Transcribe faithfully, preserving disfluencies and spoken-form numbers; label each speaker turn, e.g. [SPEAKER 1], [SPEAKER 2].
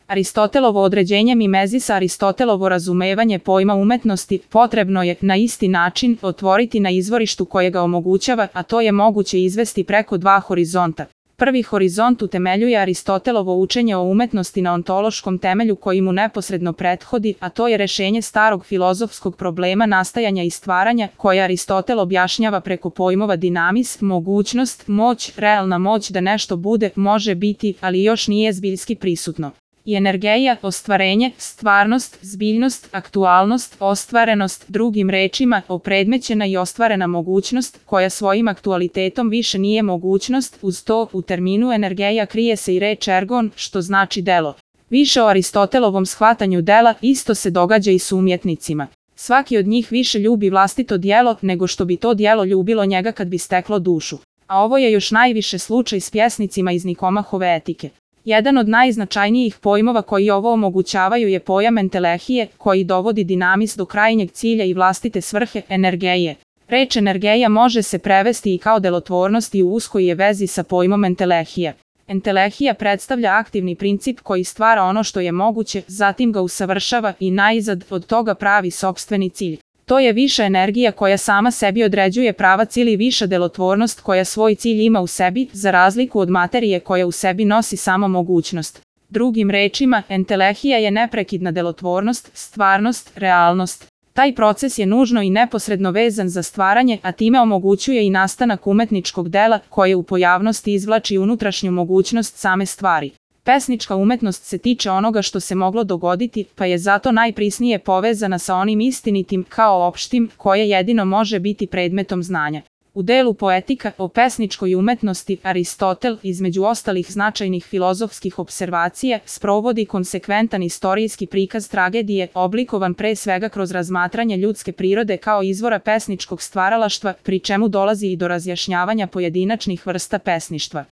[SPEAKER 1] Aristotelovo određenje mimezisa. Aristotelovo razumevanje pojma umetnosti potrebno je na isti način otvoriti na izvorištu koje ga omogućava, a to je moguće izvesti preko dva horizonta. Prvi horizont utemeljuje Aristotelovo učenje o umetnosti na ontološkom temelju koji mu neposredno prethodi, a to je rešenje starog filozofskog problema nastajanja i stvaranja, koje Aristotel objašnjava preko pojmova dinamis, mogućnost, moć, realna moć da nešto bude, može biti, ali još nije zbiljski prisutno. I energeja, ostvarenje, stvarnost, zbiljnost, aktualnost, ostvarenost, drugim rečima, opredmećena i ostvarena mogućnost, koja svojim aktualitetom više nije mogućnost, uz to, u terminu energeja krije se i reč ergon, što znači delo. Više o Aristotelovom shvatanju dela isto se događa i s umjetnicima. Svaki od njih više ljubi vlastito djelo, nego što bi to djelo ljubilo njega kad bi steklo dušu. A ovo je još najviše slučaj s pjesnicima iz Nikomahove etike. Jedan od najznačajnijih pojmova koji ovo omogućavaju je pojam entelehije, koji dovodi dinamis do krajnjeg cilja i vlastite svrhe, energeje. Reč energeja može se prevesti i kao delotvornost i u uskoj je vezi sa pojmom entelehija. Entelehija predstavlja aktivni princip koji stvara ono što je moguće, zatim ga usavršava i najzad od toga pravi sopstveni cilj. To je viša energija koja sama sebi određuje pravac ili viša delotvornost koja svoj cilj ima u sebi, za razliku od materije koja u sebi nosi samo mogućnost. Drugim rečima, entelehija je neprekidna delotvornost, stvarnost, realnost. Taj proces je nužno i neposredno vezan za stvaranje, a time omogućuje i nastanak umetničkog dela koje u pojavnosti izvlači unutrašnju mogućnost same stvari. Pesnička umetnost se tiče onoga što se moglo dogoditi, pa je zato najprisnije povezana sa onim istinitim, kao opštim, koje jedino može biti predmetom znanja. U delu Poetika o pesničkoj umetnosti Aristotel, između ostalih značajnih filozofskih observacija, sprovodi konsekventan istorijski prikaz tragedije, oblikovan pre svega kroz razmatranje ljudske prirode kao izvora pesničkog stvaralaštva, pri čemu dolazi i do razjašnjavanja pojedinačnih vrsta pesništva.